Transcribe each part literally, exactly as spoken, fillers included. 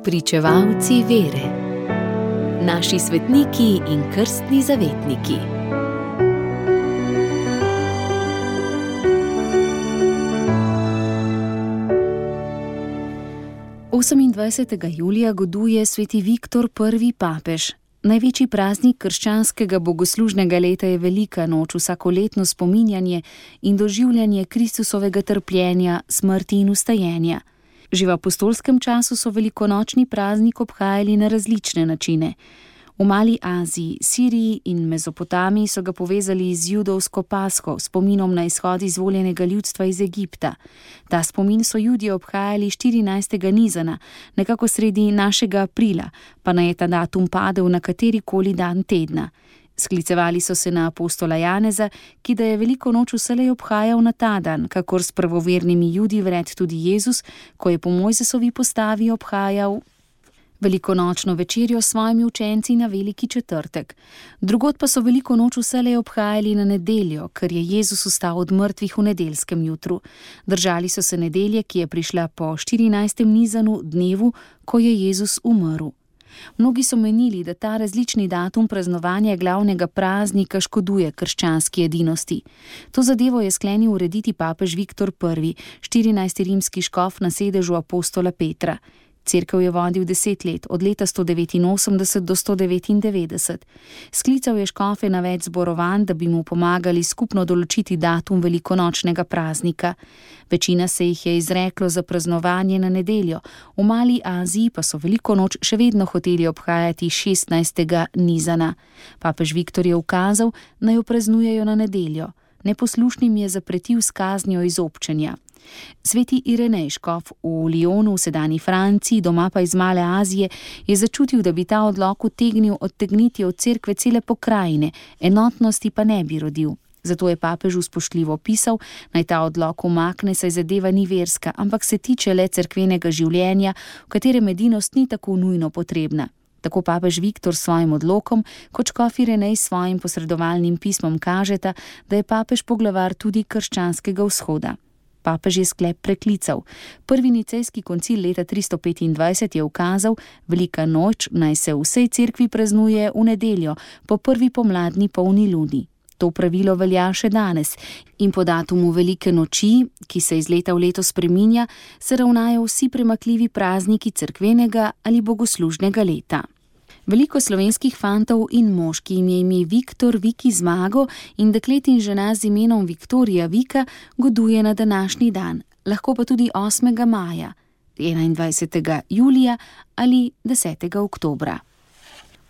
Pričevalci vere. Naši svetniki in krstni zavetniki. osemindvajsetega julija goduje sveti Viktor prvi papež. Največji praznik krščanskega bogoslužnega leta je velika noč, vsakoletno spominjanje in doživljanje Kristusovega trpljenja, smrti in vstajenja. Že v apostolskem času so velikonočni praznik obhajali na različne načine. V Mali Aziji, Siriji in Mezopotamiji so ga povezali z judovsko Pasko, spominom na izhod izvoljenega ljudstva iz Egipta. Ta spomin so Judje obhajali štirinajstega Nizana, nekako sredi našega aprila, pa naj je ta datum padel na katerikoli dan tedna. Sklicevali so se na apostola Janeza, ki da je veliko noč vselej obhajal na ta dan, kakor s pravovernimi Judi vred tudi Jezus, ko je po Mojzesovi postavi obhajal velikonočno večerjo s svojimi učenci na veliki četrtek. Drugod pa so veliko noč vselej obhajali na nedeljo, ker je Jezus vstal od mrtvih v nedeljskem jutru. Držali so se nedelje, ki je prišla po štirinajstem Nizanu, dnevu, ko je Jezus umrl. Mnogi so menili, da ta različni datum praznovanja glavnega praznika škoduje krščanski edinosti. To zadevo je sklenil urediti papež Viktor prvi, štirinajsti rimski škof na sedežu apostola Petra. Cerkev je vodil deset let, od leta sto devetinosemdeset do sto devetindevetdeset. Sklical je škofe na več zborovanj, da bi mu pomagali skupno določiti datum velikonočnega praznika. Večina se jih je izreklo za praznovanje na nedeljo, v Mali Aziji pa so veliko noč še vedno hoteli obhajati šestnajstega Nizana. Papež Viktor je ukazal, naj jo praznujejo na nedeljo. Neposlušnim je zapretil s kaznijo izobčenja. Sveti Irenej, škof v Lyonu v sedanji Franciji, doma pa iz Male Azije, je začutil, da bi ta odlok utegnil odtegniti od cerkve cele pokrajine, enotnosti pa ne bi rodil. Zato je papežu spoštljivo pisal, naj ta odlok umakne, saj zadeva ni verska, ampak se tiče le cerkvenega življenja, v katerem edinost ni tako nujno potrebna. Tako papež Viktor s svojim odlokom, kot škof Irenej s svojim posredovalnim pismom kažeta, da je papež poglavar tudi krščanskega vzhoda. Papež je sklep preklical. Prvi nicejski koncil leta tristo petindvajset je ukazal, velika noč naj se v vsej cerkvi praznuje v nedeljo, po prvi pomladni polni luni. To pravilo velja še danes in po datumu velike noči, ki se iz leta v leto spreminja, se ravnajo vsi premakljivi prazniki cerkvenega ali bogoslužnega leta. Veliko slovenskih fantov in moški jim je ime Viktor, Viki Zmago in deklet in žena z imenom Viktorija Vika goduje na današnji dan, lahko pa tudi osmega maja, enaindvajsetega julija ali desetega oktobra.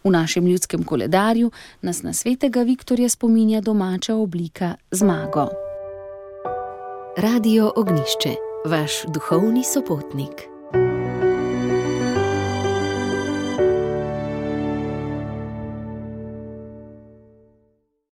V našem ljudskem koledarju nas na svetega Viktorja spominja domača oblika Zmago. Radio Ognjišče, vaš duhovni sopotnik.